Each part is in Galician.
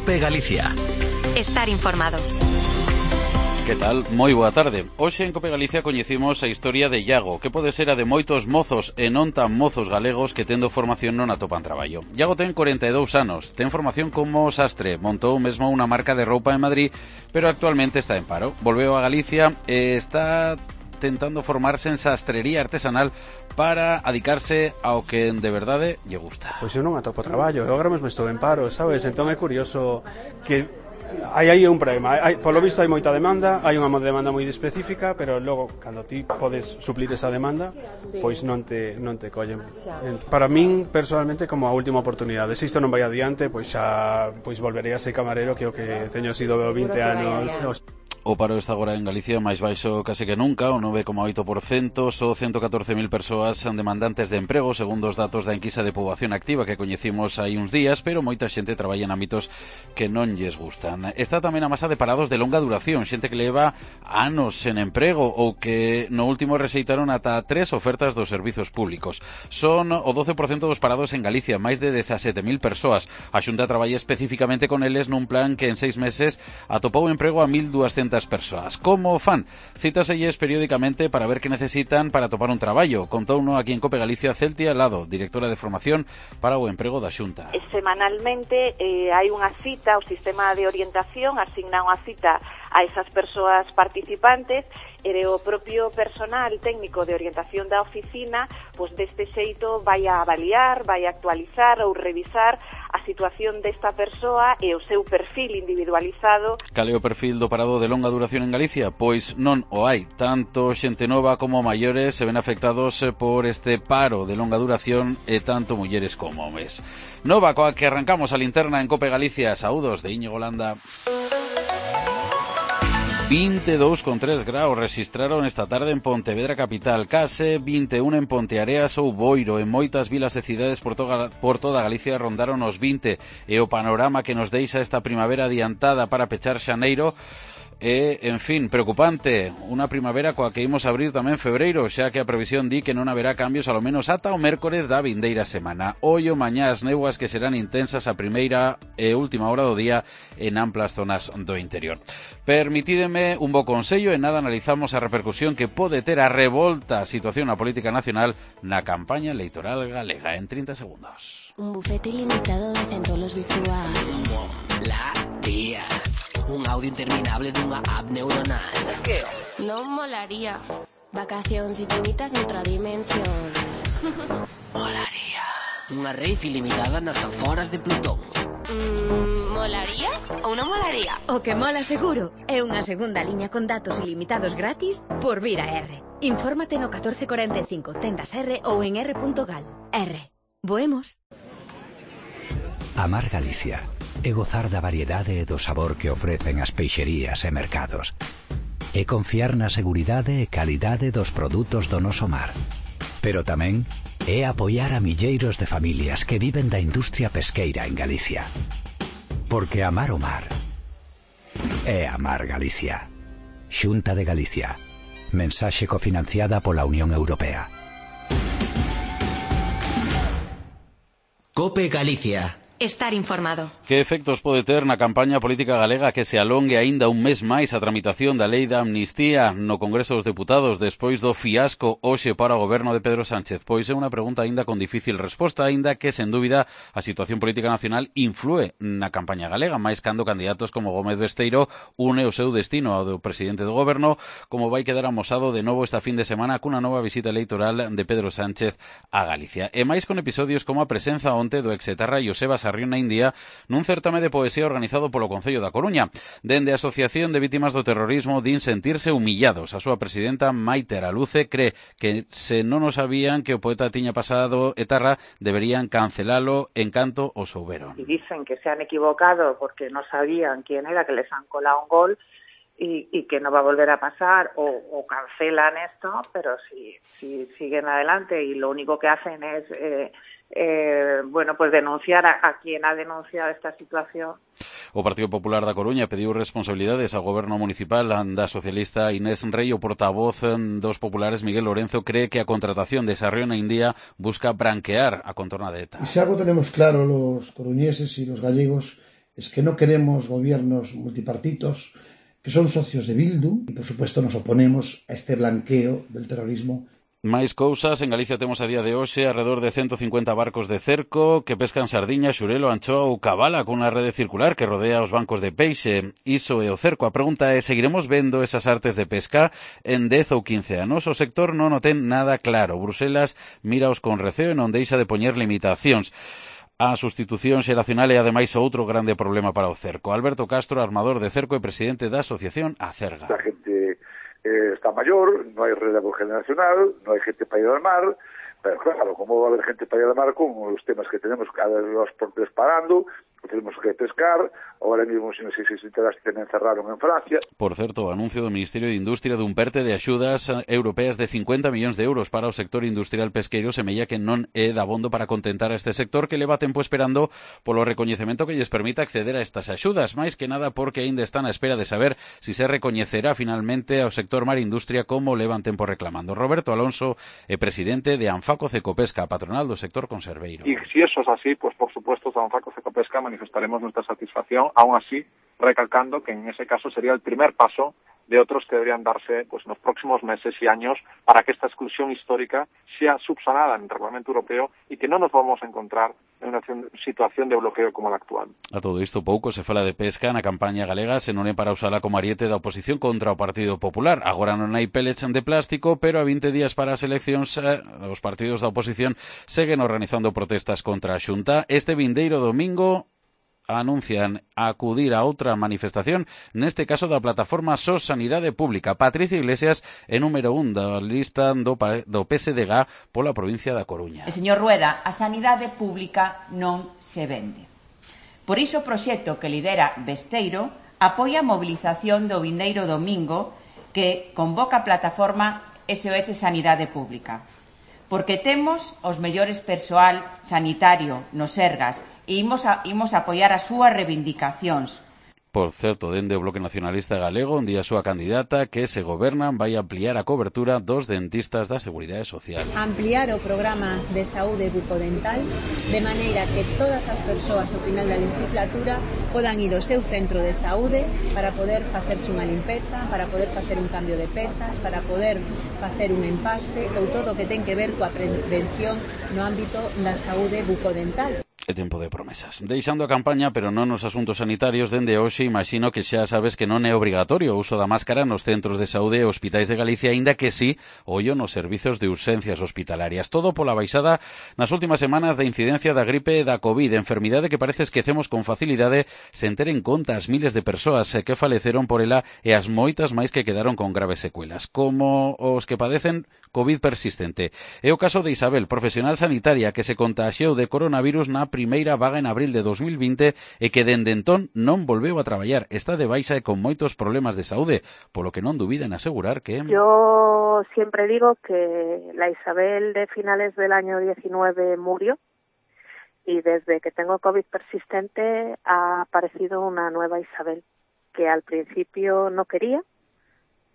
COPE Galicia. Estar informado. Que tal? Moi boa tarde. Hoxe en COPE Galicia coñecimos a historia de Iago, que pode ser a de moitos mozos e non tan mozos galegos que tendo formación non atopan traballo. Iago ten 42 anos, ten formación como sastre, montou mesmo unha marca de roupa en Madrid, pero actualmente está en paro. Volveu a Galicia e está tentando formarse en sastrería artesanal para adicarse ao que de verdade lle gusta. Pois eu non atopo traballo, eu agora mesmo estou en paro, sabes? Entón é curioso que hai aí un problema, polo visto hai moita demanda, hai unha demanda moi específica, pero logo cando ti podes suplir esa demanda, pois non te collen. Para min personalmente como a última oportunidade, se isto non vai adiante, pois xa volverei a ser camarero, que é o que teño sido 20 anos. O paro está agora en Galicia máis baixo case que nunca, o 9,8%, só 114.000 persoas son demandantes de emprego, segundo os datos da enquisa de poboación activa que coñecimos hai uns días, pero moita xente traballa en ámbitos que non lles gustan. Está tamén a masa de parados de longa duración, xente que leva anos en emprego ou que no último rexeitaron ata 3 ofertas dos servizos públicos. Son o 12% dos parados en Galicia, máis de 17.000 persoas. A Xunta traballa especificamente con eles nun plan que en 6 meses atopou emprego a 1.200 persoas. Como fan? Cítaselles periódicamente para ver que necesitan para topar un traballo. Contouno aquí en COPE Galicia Celtia Lado, directora de formación para o emprego da Xunta. Semanalmente hai unha cita, o sistema de orientación asigna unha cita a esas persoas participantes e o propio personal técnico de orientación da oficina, pois deste xeito vai a avaliar, vai a actualizar ou revisar a situación desta persoa e o seu perfil individualizado. Cal é o perfil do parado de longa duración en Galicia? Pois non o hai. Tanto xente nova como maiores se ven afectados por este paro de longa duración e tanto mulleres como homes. Nova coa que arrancamos a linterna en COPE Galicia. Saúdos de Íñigo Landa. 22,3 graus rexistraron esta tarde en Pontevedra capital, case 21 en Ponteareas ou Boiro. En moitas vilas e cidades por toda Galicia rondaron os 20 e o panorama que nos deixa esta primavera adiantada para pechar xaneiro é, en fin, preocupante. Unha primavera coa que imos abrir tamén febreiro, xa que a previsión di que non haberá cambios ao menos ata o mércores da vindeira semana. Ollo mañá as néboas que serán intensas a primeira e última hora do día en amplas zonas do interior. Permitídeme un bo consello e nada analizamos a repercusión que pode ter a revolta situación na política nacional na campaña electoral galega en 30 segundos. Un bufete ilimitado de centolos virtual. Molaría. Un audio interminable dunha app neuronal. Que? Non molaría. Vacacións infinitas noutra dimensión. Molaría. Unha rave ilimitada nas aforas de Plutón. Molaría ou non molaría? O que mola seguro é unha segunda liña con datos ilimitados gratis por vir a R. Infórmate no 1445 tendas R ou en r.gal. R. Voemos. Amar Galicia e gozar da variedade e do sabor que ofrecen as peixerías e mercados. E confiar na seguridade e calidade dos produtos do noso mar. Pero tamén é apoiar a milleiros de familias que viven da industria pesqueira en Galicia. Porque amar o mar é amar Galicia. Xunta de Galicia. Mensaxe cofinanciada pola Unión Europea. COPE Galicia. Estar informado. Que efectos pode ter na campaña política galega que se alongue aínda un mes máis a tramitación da lei da amnistía no Congreso dos Deputados despois do fiasco hoxe para o goberno de Pedro Sánchez? Pois é unha pregunta aínda con difícil resposta, aínda que, sen dúbida, a situación política nacional influe na campaña galega, máis cando candidatos como Gómez Besteiro une o seu destino ao do presidente do goberno, como vai quedar amosado de novo esta fin de semana cunha nova visita electoral de Pedro Sánchez a Galicia. E máis con episodios como a presenza onte do exetarra Joseba Sarrión na India nun certame de poesía organizado polo Concello da Coruña. Dende a Asociación de Vítimas do Terrorismo din sentirse humillados. A súa presidenta Maite Araluce cree que se non o sabían que o poeta tiña pasado etarra, deberían cancelalo en canto o souberon. Y dicen que se han equivocado porque no sabían quién era, que les han colado un gol y que no va a volver a pasar o cancelan esto, pero si siguen adelante y lo único que hacen es pues denunciar a quien ha denunciado esta situación. O Partido Popular da Coruña pediu responsabilidades ao goberno municipal da socialista Inés Rei. O portavoz dos populares Miguel Lorenzo cree que a contratación de Sarrión a India busca branquear a contorna de ETA. Y si algo tenemos claro los coruñeses y los gallegos es que no queremos gobiernos multipartitos que son socios de Bildu y, por supuesto, nos oponemos a este blanqueo del terrorismo. Máis cousas, en Galicia temos a día de hoxe alrededor de 150 barcos de cerco que pescan sardiña, xurelo, anchoa ou cabala cunha rede circular que rodea os bancos de peixe. Iso é o cerco. A pregunta é, seguiremos vendo esas artes de pesca en 10 ou 15 anos? O sector non o ten nada claro. Bruselas miraos con receo e non deixa de poñer limitacións. A sustitución xeracional é ademais outro grande problema para o cerco. Alberto Castro, armador de cerco e presidente da asociación Acerga. A gente está mayor, no hay relevo generacional, no hay gente para ir al mar, pero claro, ¿cómo va a haber gente para ir al mar con los temas que tenemos, cada vez los portes parando, tenemos que pescar, ahora mismo si no sei se se enteraste tamén cerraron en Francia. Por certo, o anuncio do Ministerio de Industria dun perte de axudas europeas de 50 millóns de euros para o sector industrial pesqueiro semella que non é dabondo para contentar a este sector que leva tempo esperando polo recoñecemento que lles permita acceder a estas axudas, máis que nada porque aínda están á espera de saber si se recoñecerá finalmente ao sector mar industria como levan tempo reclamando. Roberto Alonso é presidente de Anfaco Cecopesca, patronal do sector conserveiro. Y si eso es así, pues por supuesto de Anfaco Cecopesca manifestaremos nuestra satisfacción, aún así recalcando que en ese caso sería el primer paso de otros que deberían darse pues en los próximos meses y años para que esta exclusión histórica sea subsanada en el Reglamento Europeo y que no nos vamos a encontrar en una situación de bloqueo como la actual. A todo isto pouco se fala de pesca na campaña galega, se non é para usala como ariete da oposición contra o Partido Popular. Agora non hai pellets de plástico, pero a 20 días para as eleccións os partidos da oposición seguen organizando protestas contra a Xunta. Este vindeiro domingo anuncian acudir a outra manifestación, neste caso da plataforma SOS Sanidade Pública. Patricia Iglesias é número 1 da lista do PSDG pola provincia da Coruña. Señor Rueda, a sanidade pública non se vende. Por iso o proxecto que lidera Besteiro apoia a mobilización do vindeiro domingo que convoca a plataforma SOS Sanidade Pública. Porque temos os mellores persoal sanitario nos Sergas e imos a apoiar as súas reivindicacións. Por certo, dende o Bloque Nacionalista Galego, onde a súa candidata que se gobernan vai ampliar a cobertura dos dentistas da Seguridade Social. Ampliar o programa de saúde bucodental de maneira que todas as persoas ao final da legislatura podan ir ao seu centro de saúde para poder facerse unha limpeza, para poder facer un cambio de pezas, para poder facer un empaste ou todo o que ten que ver coa prevención no ámbito da saúde bucodental. É tempo de promesas. Deixando a campaña, pero non nos asuntos sanitarios, dende hoxe imagino que xa sabes que non é obrigatorio o uso da máscara nos centros de saúde e hospitais de Galicia, aínda que sí, ollo nos servizos de urxencias hospitalarias. Todo pola baixada nas últimas semanas da incidencia da gripe e da COVID, enfermidade que parece esquecemos con facilidade sen ter en conta as miles de persoas que faleceron por ela e as moitas máis que quedaron con graves secuelas, como os que padecen COVID persistente. É o caso de Isabel, profesional sanitaria que se contaxiou de coronavirus na primeira vaga en abril de 2020 e que dende entón non volveu a traballar. Está de baixa e con moitos problemas de saúde, polo que non dubida en asegurar que... Yo siempre digo que la Isabel de finales del año 19 murió y desde que tengo COVID persistente ha aparecido una nueva Isabel que al principio no quería,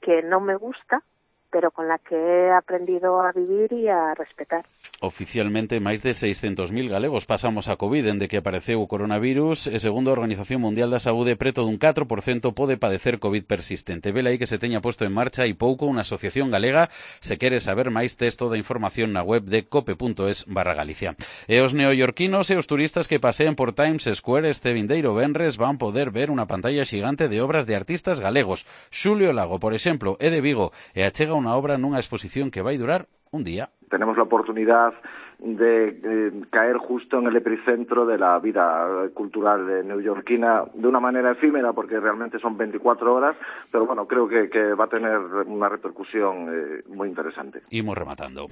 que no me gusta, pero con la que he aprendido a vivir e a respetar. Oficialmente, máis de 600.000 galegos pasamos a COVID dende que apareceu o coronavirus e, segundo a Organización Mundial da Saúde, preto dun 4% pode padecer COVID persistente. Vela aí que se teña posto en marcha e pouco unha asociación galega. Se quere saber máis, tes toda a información na web de cope.es/Galicia. E os neoyorquinos e os turistas que paseen por Times Square este vindeiro venres van poder ver unha pantalla xigante de obras de artistas galegos. Xulio Lago, por exemplo, é de Vigo e achega unha obra nunha exposición que vai durar un día. Tenemos la oportunidad de caer justo en el epicentro de la vida cultural neoyorquina de una manera efímera, porque realmente son 24 horas, pero bueno, creo que va a tener una repercusión muy interesante. Imos rematando.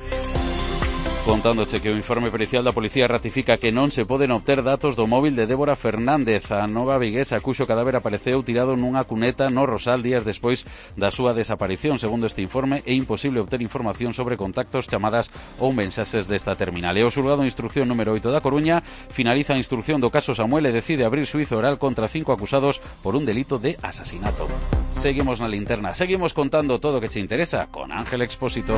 Contándoche que o informe pericial da policía ratifica que non se poden obter datos do móvil de Débora Fernández, a nova viguesa cuxo cadáver apareceu tirado nunha cuneta no Rosal días despois da súa desaparición. Segundo este informe, é imposible obter información sobre contactos, chamadas ou mensaxes desta terminal. E o xulgado de instrucción número 8 da Coruña finaliza a instrucción do caso Samuel e decide abrir xuízo oral contra 5 acusados por un delito de asasinato. Seguimos na linterna, seguimos contando todo o que che interesa con Ángel Expósito.